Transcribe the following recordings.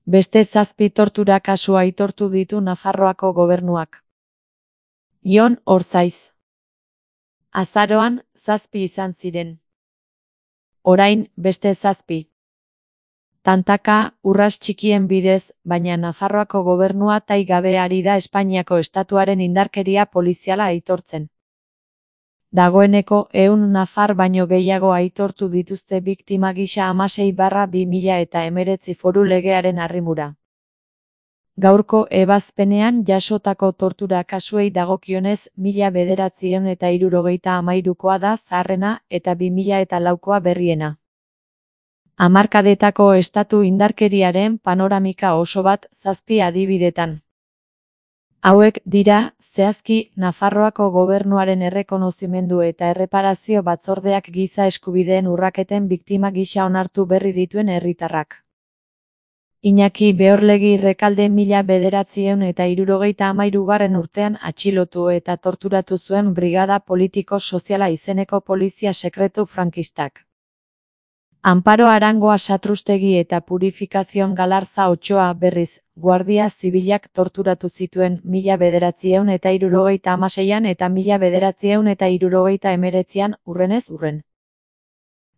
Beste 7 tortura kasu aitortu ditu Nafarroako gobernuak. Jon Orzaiz. Azaroan, 7 izan ziren. Orain, beste 7. Tantaka, urras txikien bidez, baina Nafarroako gobernua tai gabe ari da Espainiako estatuaren indarkeria poliziala aitortzen. Dagoeneko 100 nafar baino gehiago aitortu dituzte biktima gisa 16/2019 foru legearen arrimura. Gaurko ebazpenean jasotako tortura kasuei dagokionez 1973koa da zaharrena eta 2004koa berriena. Hamarkadetako estatu indarkeriaren panoramika oso bat 7 adibidetan. Hauek dira, zehazki, Nafarroako gobernuaren errekonozimendu eta erreparazio batzordeak giza eskubideen urraketen biktima gisa onartu berri dituen herritarrak. Iñaki Beorlegi Rekalde 1973 urtean atxilotu eta torturatu zuen Brigada Politiko Soziala izeneko polizia sekretu frankistak. Amparo Arangoa Satrustegi eta Purificación Galarza Otxoa berriz, Guardia Zibilak torturatu zituen 1976an eta 1979an urrenez urren.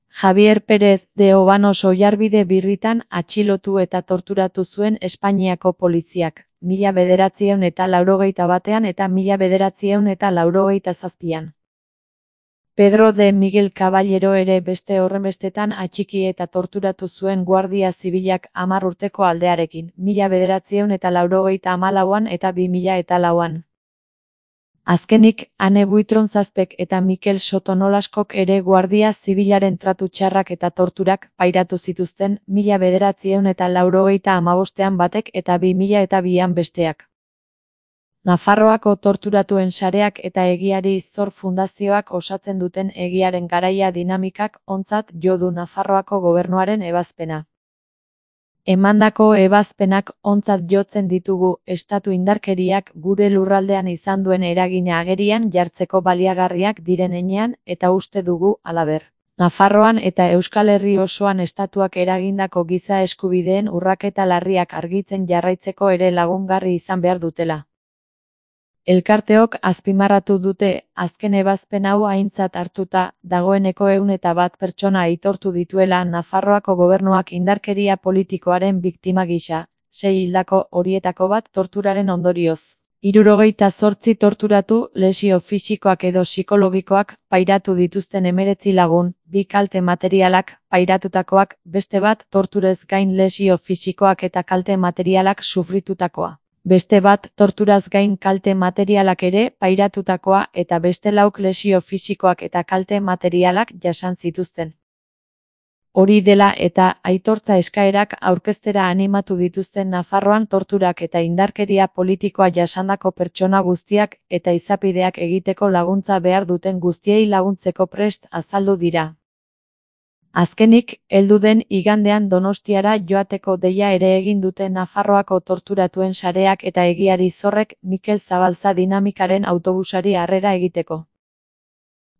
Javier Pérez de Obanos Oiarbide Birritan atxilotu eta torturatu zuen Espainiako poliziak, 1981an eta 1987an. Pedro de Miguel Caballero ere beste horrenbestetan atxiki eta torturatu zuen Guardia Zibilak 10 urteko aldearekin, 1984an eta 2004an. Azkenik, Ane Buitronzazpek eta Mikel Sotonolaskok ere Guardia Zibilaren tratu txarrak eta torturak pairatu zituzten 1985an batek eta 2002an besteak. Nafarroako torturatuen sareak eta Egiari Zor Fundazioak osatzen duten Egiaren Garaia dinamikak ontzat jo du Nafarroako gobernuaren ebazpena. Emandako ebazpenak ontzat jotzen ditugu estatu indarkeriak gure lurraldean izan duen eragina agerian jartzeko baliagarriak diren heinean eta uste dugu, halaber, Nafarroan eta Euskal Herri osoan estatuak eragindako giza eskubideen urraketa larriak argitzen jarraitzeko ere lagungarri izan behar dutela. Elkarteok azpimarratu dute, azken ebazpen hau aintzat hartuta, dagoeneko 101 pertsona aitortu dituela Nafarroako gobernuak indarkeria politikoaren biktima gisa, 6 hildako horietako bat torturaren ondorioz. 78 torturatu, lesio fisikoak edo psikologikoak pairatu dituzten 19 lagun, 2 kalte materialak pairatutakoak, beste bat torturez gain lesio fisikoak eta kalte materialak sufritutakoa. Beste bat torturaz gain kalte materialak ere pairatutakoa eta beste 4 lesio fisikoak eta kalte materialak jasan zituzten. Hori dela eta aitortza eskaerak aurkeztera animatu dituzten Nafarroan torturak eta indarkeria politikoa jasandako pertsona guztiak eta izapideak egiteko laguntza behar duten guztiei laguntzeko prest azaldu dira. Azkenik, heldu den igandean Donostiara joateko deia ere egin dute Nafarroako torturatuen sareak eta Egiari Zorrek Mikel Zabalza dinamikaren autobusari harrera egiteko.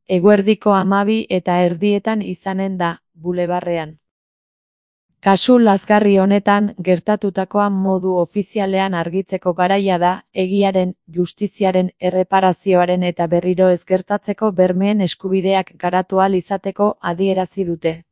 Eguerdiko 12:30 izanen da, bulebarrean. Kasu lazgarri honetan gertatutakoa modu ofizialean argitzeko garaia da, egiaren, justiziaren, erreparazioaren eta berriro ez gertatzeko bermeen eskubideak garatu ahal izateko adierazi dute.